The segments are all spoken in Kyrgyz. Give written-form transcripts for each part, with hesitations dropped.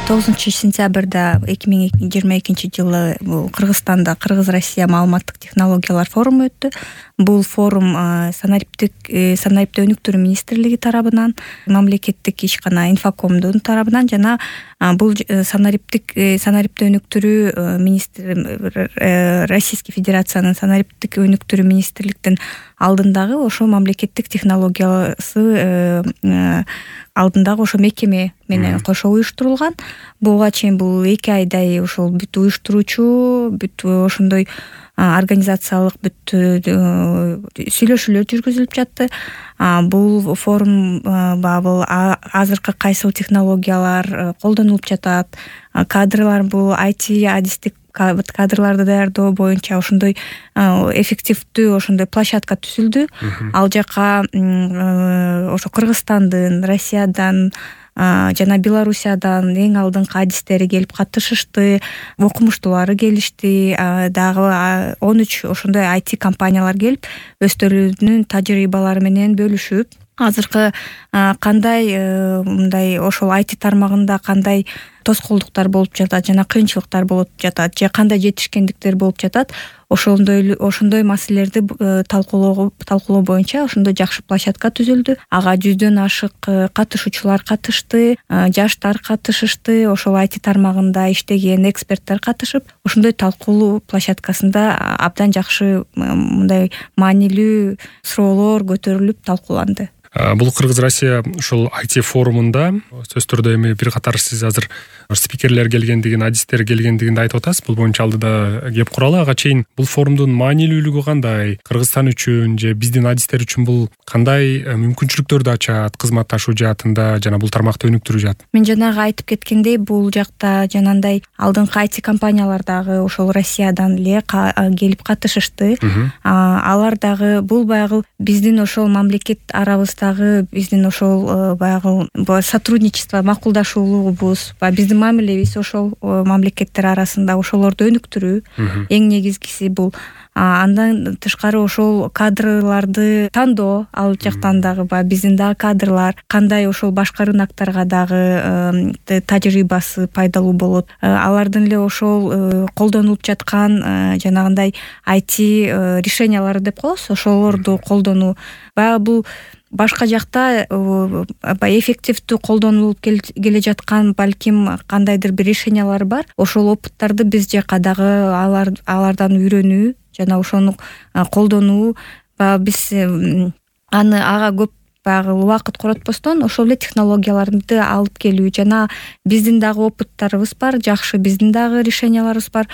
9-сентябрда 2022-жылы бул Кыргызстанда Кыргыз-Россия маалыматтык технологиялар форуму өттү. Бул форум санариптик өнүктүрүү министрлиги тарабынан, мамлекеттик ишкана Инфокомдун тарабынан жана бул санариптик өнүктүрүү Российский Федерациянын санариптик өнүктүрүү министрликтин алдындагы ошо мамлекеттик технологиясы алдындагы ошо мекеме менен кошо уюштурулган. Буга чейин бул 2 айдай ошол бүт уюштуруучу, бүт ошондой организациялык бүт сүйлөшүүлөр жүргүзүлүп жатты. Бул форум бул азыркы кайсыл технологиялар колдонулуп жатат, кадрлар бул IT адистик кадрларды даярдоо боюнча ошондой эффективдүү ошондой площадка түзүлдү. Ал жака ошо Кыргызстандын, Россиядан жана Белоруссиядан эң алдыңкы адистери келип катышышты, окумуштуулары келишти. Дагы 13 ошондой IT компаниялар келип өздөрүнүн тажрыйбалары менен бөлүшүп, азыркы кандай мындай ошол IT тармагында кандай тоскоолдуктар болуп жатат жана кыйынчылыктар болуп жатат же кандай жетишкендиктер болуп жатат, ошондой маселелерди талкуулоо боюнча ошондой жакшы площадка түзүлдү. Ага 100дөн ашык катышуучулар катышты, жаштар катышышты, ошол IT тармагында иштеген эксперттер катышып, ошондой талкуулоо площадкасында абдан жакшы мындай маанилүү суроолор көтөрүлүп талкууланды. Бул Кыргыз-Россия ушул IT форумунда сөзсүз түрдө эми бир катар сиз азыр спикерлер келгендигин, адистер келгендигин айтып атасыз. Бул боюнча алдыда кеп куралы. Ага чейин бул форумдун маанилүүлүгү кандай? Кыргызстан үчүн же биздин адистер үчүн бул кандай мүмкүнчүлүктөрдү ачат кызматташуу жаатында жана бул тармакты өнүктүрүү жаатында? Мен жанагы айтып кеткендей, бул жакта жанагындай алдыңкы IT компаниялар дагы ошол Россиядан эле келип катышышты. Алар дагы бул баягы биздин ошол мамлекет арабыздагы биздин ошол баягы сотрудничество, макулдашуулугубуз, биздин мамилебиз ошол мамлекеттер арасында ошолорду өнүктүрүү эң негизгиси бул. Андан тышкары ошол кадрларды тандоо, ал жактан дагы биздин дагы кадрлар кандай ошол башка рынокторго дагы тажрыйбасы пайдалуу болот. Алардын эле ошол колдонулуп жаткан жанагындай IT решениялары деп коебуз, ошолорду колдонуу. Баягы бул башка жакта эффективдүү колдонулуп келе жаткан балким кандайдыр бир решениялар бар. Ошол опыттарды биз жака дагы алардан үйрөнүү жана ошону колдонуу, биз ага көп баягы убакыт коротпостон ошол эле технологияларды алып келүү жана биздин дагы опыттарыбыз бар, жакшы биздин дагы решенияларыбыз бар.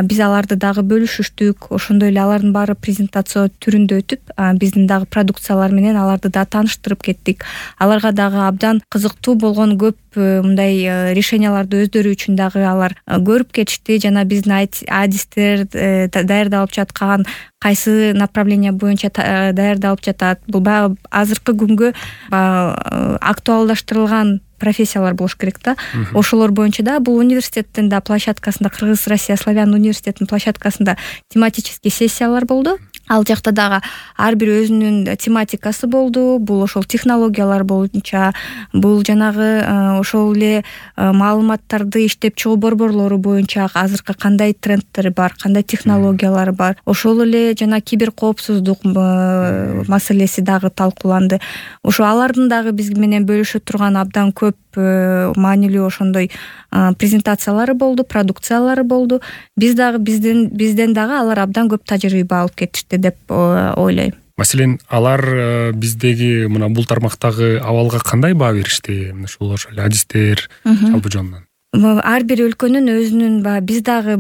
Биз аларды дагы бөлүшүштүк, ошондой эле алардын баары презентация түрүндө өтүп, биздин дагы продукциялар менен аларды да тааныштырып кеттик. Аларга дагы абдан кызыктуу болгон көп мындай решенияларды өздөрү үчүн дагы алар көрүп кетишти жана биздин адистер даярдалып жаткан кайсы направление боюнча даярдалып жатат. Бул баягы азыркы күнгө актуалдаштырылган профессиялар болуш керек да. Ошолор боюнча да бул университеттин да площадкасында, Кыргыз-Россия славян университетинин площадкасында тематический сессиялар болду. Ал жакта дагы ар бир өзүнүн тематикасы болду. Бул ошол технологиялар боюнча, бул жанагы ошол эле маалыматтарды иштеп чыгуу борборлору боюнча азыркы кандай трендтер бар, кандай технологиялар бар. Ошол эле жана киберкоопсуздук маселеси дагы талкууланды. Ошо алардын дагы биз менен бөлүшө турган абдан көп маанилүү ошондой презентациялары болду, продукциялары болду. Бизден дагы алар абдан көп тажрыйба алып кетишти деп ойлойм. Маселен, алар биздеги мына бул тармактагы абалга кандай баа беришти? Ушул ошол адистер жалпы жонунан. Ар бир өлкөнүн өзүнүн биз дагы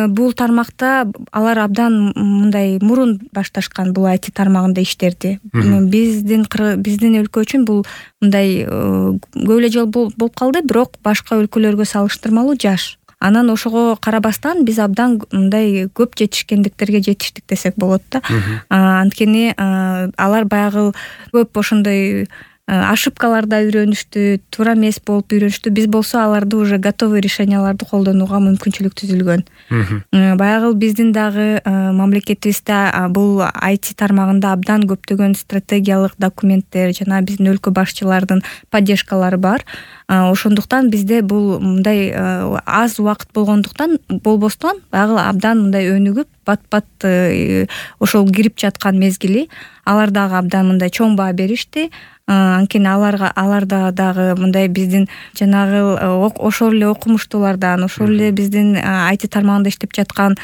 бул тармакта алар абдан мындай мурун башташкан бул IT тармагында иштерди. Биздин өлкө үчүн бул мындай көп эле жол болуп калды, бирок башка өлкөлөргө салыштырмалуу жаш. Анан ошого карабастан биз абдан мындай көп жетишкендиктерге жетиштик десек болот да. Анткени алар баягы көп ошондой ошибкаларда үйрөнүштү, туура эмес болуп үйрөнүштү. Биз болсо аларды уже готовый решенияларды колдонууга мүмкүнчүлүк түзүлгөн. Баягы биздин дагы мамлекетибизде бул IT тармагында абдан көптөгөн стратегиялык документтер жана биздин өлкө башчылардын поддержкалары бар. Ошондуктан бизде бул мындай аз убакыт болбостон баягы абдан мындай өнүгүп бат ошол кирип жаткан мезгили алар дагы абдан мындай чоң баа беришти. Анткени алар дагы мындай биздин жанагы ошол эле окумуштуулардан, ошол эле биздин IT тармагында иштеп жаткан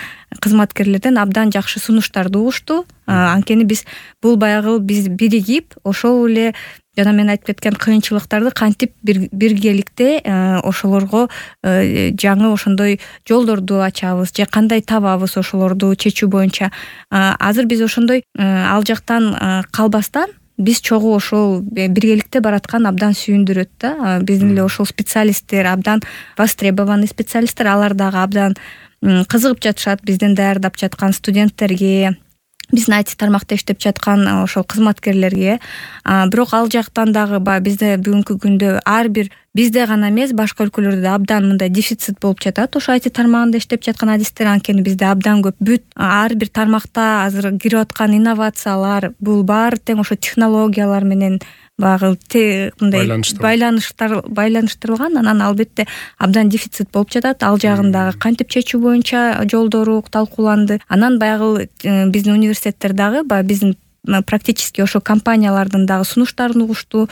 кызматкерлерден абдан жакшы сунуштарды угушту. Анткени биз биригип ошол эле жана мен айтып кеткен кыйынчылыктарды кантип биргеликте ошолорго жаңы ошондой жолдорду ачабыз же кандай табабыз ошолорду чечүү боюнча. Азыр биз ошондой ал жактан калбастан биз чогуу ошол биргеликте бараткан абдан сүйүндүрөт да. Биздин эле ошол специалисттер абдан востребованный специалисттер, алар дагы абдан кызыгып жатышат биздин даярдап жаткан студенттерге, биздин IT тармакта иштеп жаткан ошол кызматкерлерге. Бирок ал жактан дагы бизде бүгүнкү күндө ар бир бизде гана эмес, башка өлкөлөрдө абдан мындай дефицит болуп жатат ошо IT тармагында иштеп жаткан адистер. Анткени бизде абдан көп ар бир тармакта азыр кирип аткан инновациялар бул баары тең ошо технологиялар менен багы мындай байланыштырылган. Анан албетте абдан дефицит болуп жатат. Ал жагын дагы кантип чечүү боюнча жолдору талкууланды. Анан баягы биздин университеттер дагы биздин практически ошо компаниялардын дагы сунуштарын угушту,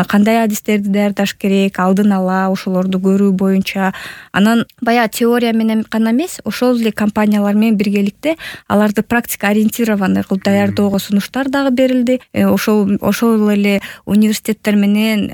кандай адистерди даярдаш керек, алдын ала ошолорду көрүү боюнча. Анан баягы теория менен гана эмес, ошол эле компаниялар менен биргеликте аларды практика ориентированный кылып даярдоого сунуштар дагы берилди. Ошол эле университеттер менен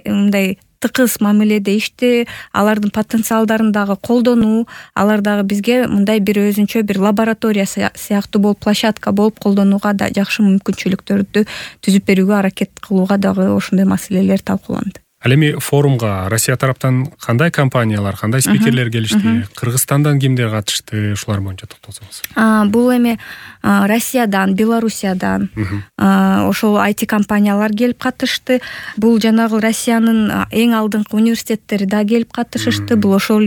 мындай тыкыз мамиледе иштөө, алардын потенциалдарын дагы колдонуу, алар дагы бизге мындай бир өзүнчө бир лаборатория сыяктуу болуп, площадка болуп колдонууга да жакшы мүмкүнчүлүктөрдү түзүп берүүгө аракет кылууга дагы ошондой маселелер талкууланды. Ал эми форумга Россия тараптан кандай компаниялар, кандай спикерлер келишти? Кыргызстандан кимдер катышты? Ушулар боюнча токтолсоңуз. Бул эми Россиядан, Белоруссиядан ошол IT компаниялар келип катышты. Бул жанагы Россиянын эң алдыңкы университеттери да келип катышышты. Бул ошол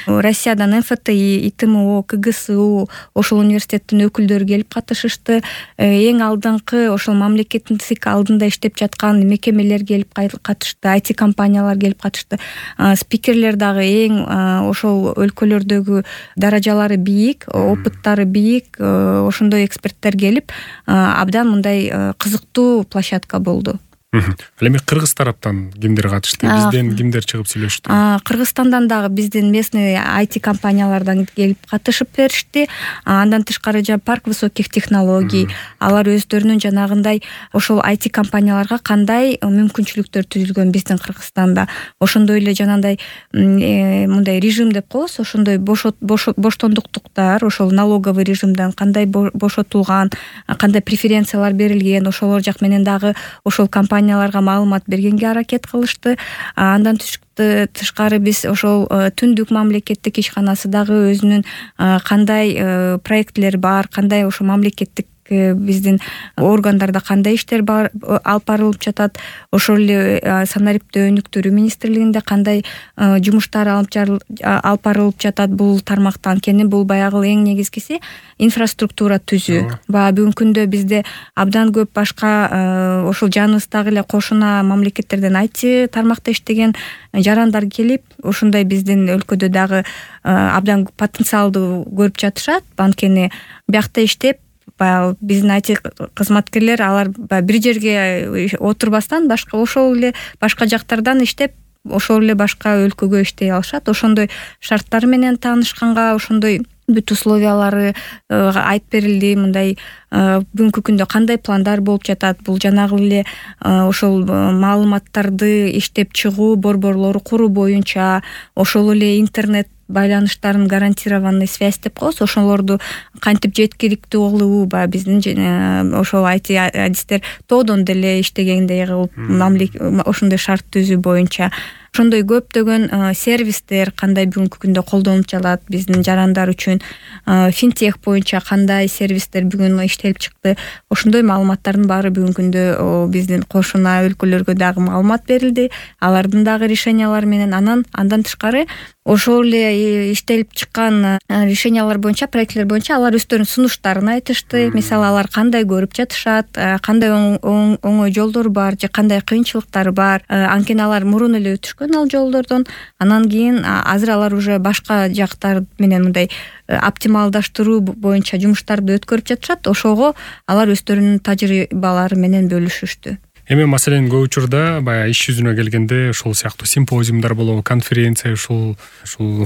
Россиядан МФТИ, ИТМО, КГСУ ошол университеттин өкүлдөрү келип катышышты. Эң алдыңкы ошол мамлекеттик алдында иштеп жаткан мекемелер келип катышты. IT компаниялар келип катышты. Спикерлер дагы эң ошол өлкөлөрдөгү даражалары бийик, опыттары бийик, ошондой эксперттер келип абдан мындай кызыктуу площадка болду. Ал эми Кыргыз тараптан кимдер катышты? Бизден кимдер чыгып сүйлөштү? Кыргызстандан дагы биздин местный IT компаниялардан келип катышып беришти. Андан тышкары парк высоких технологий, алар өздөрүнүн жанагындай ошол IT компанияларга кандай мүмкүнчүлүктөр түзүлгөн биздин Кыргызстанда. Ошондой эле жанагындай мындай режим деп коебуз, ошондой боштондуктуктар, ошол налоговый режимден кандай бошотулган, кандай преференциялар берилген, ошолор жак менен дагы ошол компанияларга маалымат бергенге аракет кылышты. Андан тышкары биз ошол түндүк мамлекеттик ишканасы дагы өзүнүн кандай проектлери бар, кандай ошо мамлекеттик биздин органдарда кандай иштер алып барылып жатат, ошол эле санариптөө өнүктүрүү министрлигинде кандай жумуштар алып барылып жатат бул тармакта. Анткени бул баягы эң негизгиси инфраструктура түзүү. Бүгүнкү күндө бизде абдан көп башка ошол жаныбыздагы эле кошуна мамлекеттерден IT тармакта иштеген жарандар келип, ошондой биздин өлкөдө дагы абдан потенциалды көрүп жатышат. Анткени биякта иштеп биздин IT кызматкерлер алар бир жерге отурбастан башка ошол эле башка жактардан иштеп ошол эле башка өлкөгө иштей алышат. Ошондой шарттары менен таанышканга ошондой бүт условиялары айтып берилди. Мындай бүгүнкү күндө кандай пландар болуп жатат, бул жанагы эле ошол маалыматтарды иштеп чыгуу борборлору куруу боюнча, ошол эле интернет байланыштарын гарантированный связь деп коебуз, ошолорду кантип жеткиликтүү кылуу, баягы биздин ошол IT адистер тоодон деле иштегендей кылып ошондой шарт түзүү боюнча ошондой көптөгөн сервистер кандай бүгүнкү күндө колдонуп жатат биздин жарандар үчүн, финтех боюнча кандай сервистер бүгүн иштелип чыкты, ошондой маалыматтардын баары бүгүнкү күндө биздин кошуна өлкөлөргө дагы маалымат берилди, алардын дагы решениялары менен. Андан тышкары ошол эле иштелип чыккан решениялар боюнча, проектлер боюнча алар өздөрүнүн сунуштарын айтышты. Мисалы алар кандай көрүп жатышат, кандай оңой жолдор бар же кандай кыйынчылыктары бар, анткени алар мурун эле өтүшкөн ал жолдордон. Анан кийин азыр алар уже башка жактар менен мындай оптималдаштыруу боюнча жумуштарды өткөрүп жатышат. Ошого алар өздөрүнүн тажрыйбалары менен бөлүшүштү. Эми маселен көп учурда баягы иш жүзүнө келгенде ушул сыяктуу симпозиумдар болобу, конференция, ушул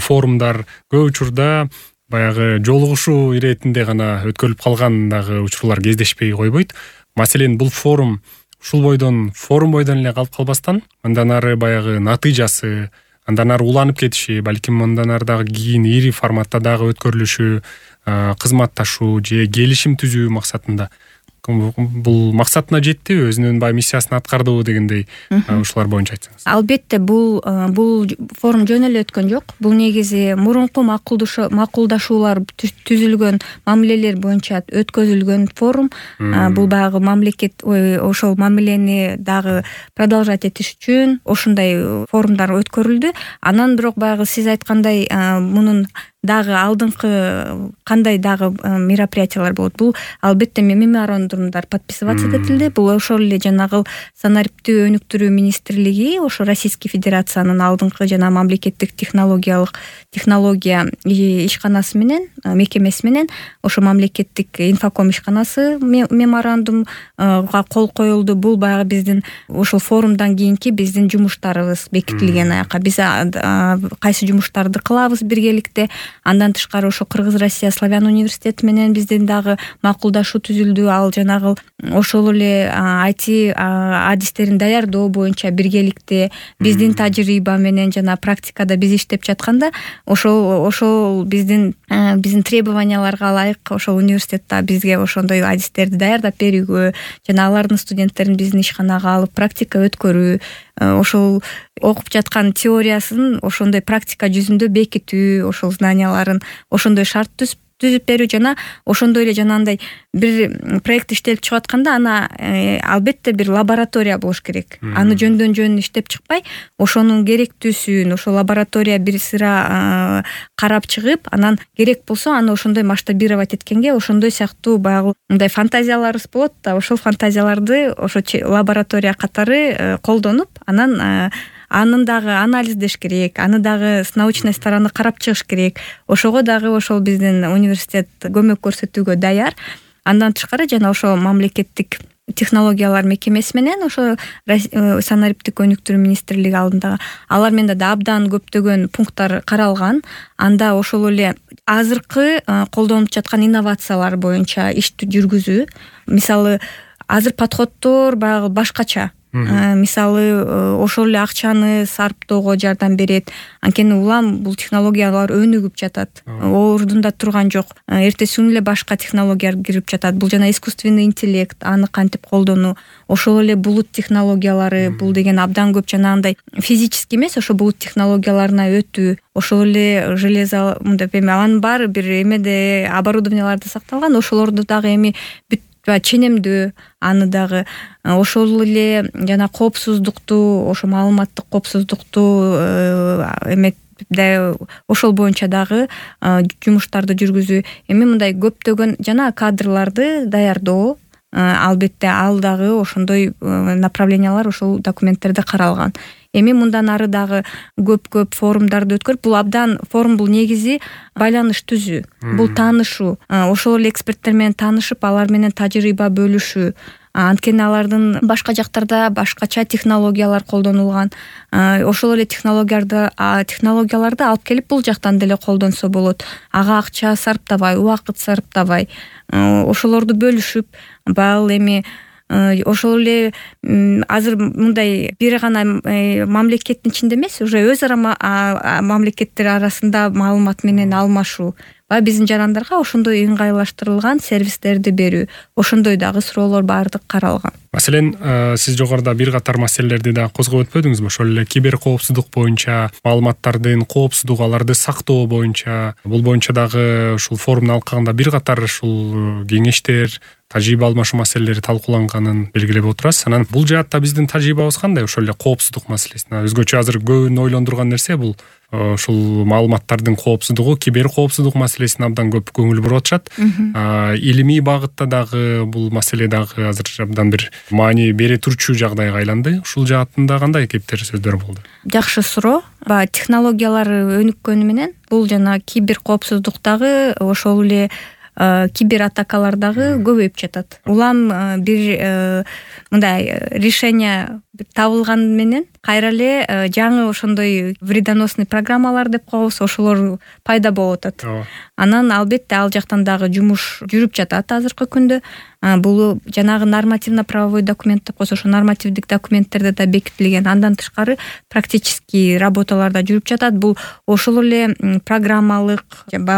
форумдар көп учурда баягы жолугушуу иретинде гана өткөрүлүп калган дагы учурлар кездешпей койбойт. Маселен бул форум форум бойдон эле калып калбастан, андан ары баягы натыйжасы, андан ары уланып кетиши, балким андан ары дагы кийин ири форматта дагы өткөрүлүшү, кызматташуу же келишим түзүү максатында бул максатына жеттиби, өзүнүн баягы миссиясын аткардыбы дегендей ушулар боюнча айтсаңыз. Албетте бул форум жөн эле өткөн жок. Бул негизи мурунку макулдашуулар түзүлгөн мамилелер боюнча өткөзүлгөн форум. Бул баягы мамлекет ошол мамилени дагы продолжать этиш үчүн ошондой форумдар өткөрүлдү. Анан бирок баягы сиз айткандай мунун дагы алдыңкы кандай дагы мероприятиялар болот. Бул албетте меморандумдар подписываться этилди. Бул ошол эле жанагы санариптүү өнүктүрүү министрлиги, ошо Российский Федерациянын алдыңкы жана мамлекеттик технология ишканасы менен, мекемеси менен ошо мамлекеттик инфоком ишканасы меморандумга кол коюлду. Бул баягы биздин ошол форумдан кийинки биздин жумуштарыбыз бекитилген аяка. Биз кайсы жумуштарды кылабыз биргеликте. Андан тышкары ошо Кыргыз Россия славян университети менен биздин дагы макулдашуу түзүлдү. Ал жанагы ошол эле IT адистерин даярдоо боюнча биргеликте биздин тажрыйба менен жана практикада биз иштеп жатканда ошол биздин требованияларга ылайык ошол университетте бизге ошондой адистерди даярдап берүүгө жана алардын студенттерин биздин ишканага алып практика өткөрүү, ошол окуп жаткан теориясын ошондой практика жүзүндө бекитүү, ошол знанияларын ошондой шарт түзүп берүү жана ошондой эле жанагындай бир проект иштелип чыгып атканда аны албетте бир лаборатория болуш керек. Аны жөндөн жөн иштеп чыкпай, ошонун керектүүсүн ошол лаборатория бир сыра карап чыгып, анан керек болсо аны ошондой масштабировать эткенге ошондой сыяктуу баягы мындай фантазияларыбыз болот да, ошол фантазияларды ошо лаборатория катары колдонуп, анын дагы анализдеш керек, аны дагы с научной стороны карап чыгыш керек. Ошого дагы ошол биздин университет көмөк көрсөтүүгө даяр. Андан тышкары жана ошо мамлекеттик технологиялар мекемеси менен ошо санариптик өнүктүрүү министрлиги алдындагы алар менен да абдан көптөгөн пункттар каралган. Анда ошол эле азыркы колдонуп жаткан инновациялар боюнча ишти жүргүзүү. Мисалы азыр подходдор баягы башкача. Мисалы ошол эле акчаны сарптоого жардам берет. Анткени улам бул технологиялар өнүгүп жатат. Ордунда турган жок. Эртесин эле башка технологиялар кирип жатат. Бул жана искусственный интеллект, аны кантип колдонуу, ошол эле булут технологиялары, бул деген абдан көп жанагындай физический эмес, ошо булут технологияларына өтүү, ошол эле железо мындай анын баары бир эмеде оборудованияларда сакталган, ошолорду дагы эми ченемдөө, аны дагы ошол эле жана коопсуздукту, ошо маалыматтык коопсуздукту ошол боюнча дагы жумуштарды жүргүзүү. Эми мындай көптөгөн жана кадрларды даярдоо, албетте ал дагы ошондой направлениялар ошол документтерде каралган. Эми мындан ары дагы көп форумдарды өткөрүп, бул абдан форум бул негизи байланыш түзүү, бул таанышуу, ошол эле эксперттер менен таанышып, алар менен тажрыйба бөлүшүү. Анткени алардын башка жактарда башкача технологиялар колдонулган. Ошол эле технологияларды алып келип бул жактан деле колдонсо болот. Ага акча сарптабай, убакыт сарптабай, ошолорду бөлүшүп, баал эми ошол эле азыр мындай бир гана мамлекеттин ичинде эмес, уже өз ара мамлекеттер арасында маалымат менен алмашуу баягы биздин жарандарга ошондой ыңгайлаштырылган сервистерди берүү, ошондой дагы суроолор баардык каралган. Маселен, сиз жогоруда бир катар маселелерди да козгоп өтпөдүңүзбү? Ошол эле кибер коопсуздук боюнча, маалыматтардын коопсуздугу, аларды сактоо боюнча, бул боюнча дагы ушул форумду алкагында бир катар ушул кеңештер, тажрыйба алмашуу маселелери талкууланганын белгилеп отурасыз. Анан бул жаатта биздин тажрыйбабыз кандай? Ошол эле коопсуздук маселесине өзгөчө азыр көбүн ойлондурган нерсе бул ушул маалыматтардын коопсуздугу, кибер коопсуздук маселесине абдан көп көңүл буруп атышат. Илимий багытта дагы бул маселе дагы азыр абдан бир маани бере турчу жагдайга айланды. Ушул жаатында кандай кептер сөздөр болду? Жакшы суроо. Баягы технологиялар өнүккөнү менен бул жана кибер коопсуздуктагы ошол эле кибер атакалар дагы көбөйүп жатат. Улам бир мындай решение табылган менен кайра эле жаңы ошондой вредоносный программалар деп коебуз, ошолор пайда болуп атат. Анан албетте ал жактан дагы жумуш жүрүп жатат азыркы күндө. Бул жанагы нормативно-правовой документ деп коебуз, ошо нормативдик документтерде да бекитилген. Андан тышкары практический работалар да жүрүп жатат. Бул ошол эле программалык,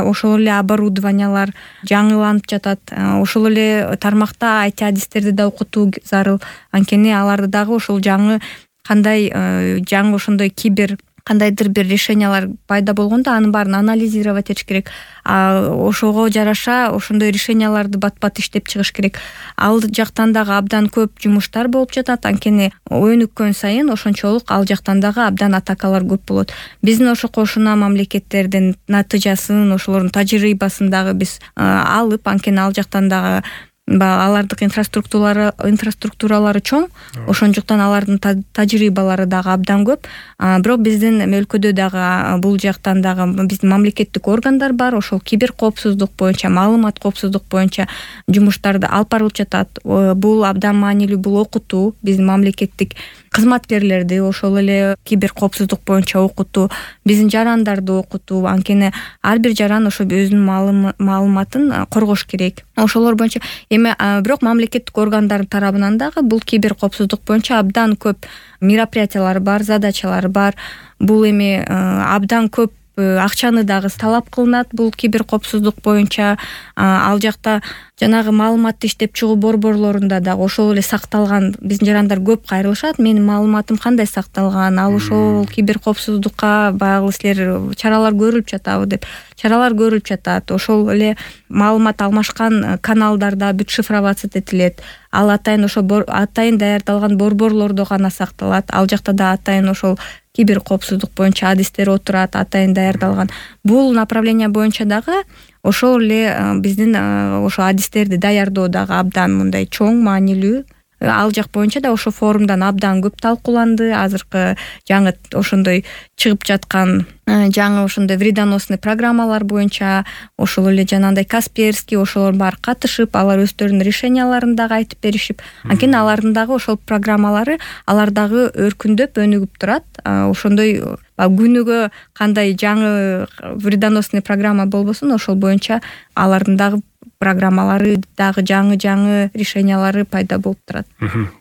ошол эле оборудованиялар жаңыланып жатат. Ошол эле тармакта IT адистерди да окутуу зарыл. Анткени аларды дагы ошол жаңы кандай жаңы ошондой кибер кандайдыр бир решениялар пайда болгондо анын баарын анализировать этиш керек. Ошого жараша ошондой решенияларды бат-бат иштеп чыгыш керек. Ал жактан дагы абдан көп жумуштар болуп жатат. Анткени өнүккөн сайын ошончолук ал жактан дагы абдан атакалар көп болот. Биздин ошо кошуна мамлекеттердин натыйжасын, ошолордун тажрыйбасын дагы биз алып, анткени ал жактан дагы алардык инфраструктуралары чоң, ошондуктан алардын тажрыйбалары дагы абдан көп. Бирок биздин өлкөдө дагы бул жактан дагы биздин мамлекеттик органдар бар, ошол кибер коопсуздук боюнча, маалымат коопсуздук боюнча жумуштарды алып барылып жатат. Бул абдан маанилүү, бул окутуу, биздин мамлекеттик кызматкерлерди ошол эле кибер коопсуздук боюнча окутуу, биздин жарандарды окутуу, анткени ар бир жаран ошо өзүнүн маалыматын коргош керек. Ошолор боюнча бирок мамлекеттик органдар тарабынан дагы бул кибер коопсуздук боюнча абдан көп мероприятиялар бар, задачалар бар. Бул абдан көп акчаны дагы талап кылынат бул кибер коопсуздук боюнча. Ал жакта жанагы маалыматты иштеп чыгуу борборлорунда дагы ошол эле сакталган биздин жарандар көп кайрылышат. Менин маалыматым кандай сакталган, ал ошол кибер коопсуздукка баягы силер чаралар көрүлүп жатабы деп. Чаралар көрүлүп жатат. Ошол эле маалымат алмашкан каналдарда бүт шифровация этилет. Ал атайын ошо атайын даярдалган борборлордо гана сакталат. Ал жакта да атайын ошол кибер коопсуздук боюнча адистер отурат, атайын даярдалган. Бул направление боюнча дагы ошол эле биздин ошо адистерди даярдоо дагы абдан мындай чоң, маанилүү. Ал жак боюнча да ошо форумдан абдан көп талкууланды. Азыркы жаңы ошондой чыгып жаткан жаңы ошондой вредоносный программалар боюнча ошол эле жанагындай Касперский ошолор баары катышып, алар өздөрүнүн решенияларын дагы айтып беришип, анткени алардын дагы ошол программалары алар дагы өркүндөп, өнүгүп турат. Ошондой күнүгө кандай жаңы вредоносный программа болбосун, ошол боюнча алардын дагы программалары дагы жаңы решениялары пайда болуп турат.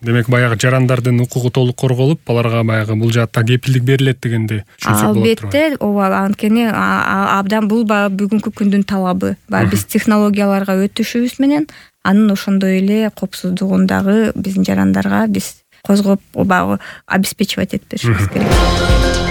Демек баягы жарандардын укугу толук корголуп, аларга баягы бул жаатта кепилдик берилет дегенди түшүнсөк болот. Албетте, ооба, анткени абдан бул бүгүнкү күндүн талабы. Биз технологияларга өтүшүбүз менен анын ошондой эле коопсуздугун дагы биздин жарандарга биз козгоп, обеспечивать этип беришибиз керек.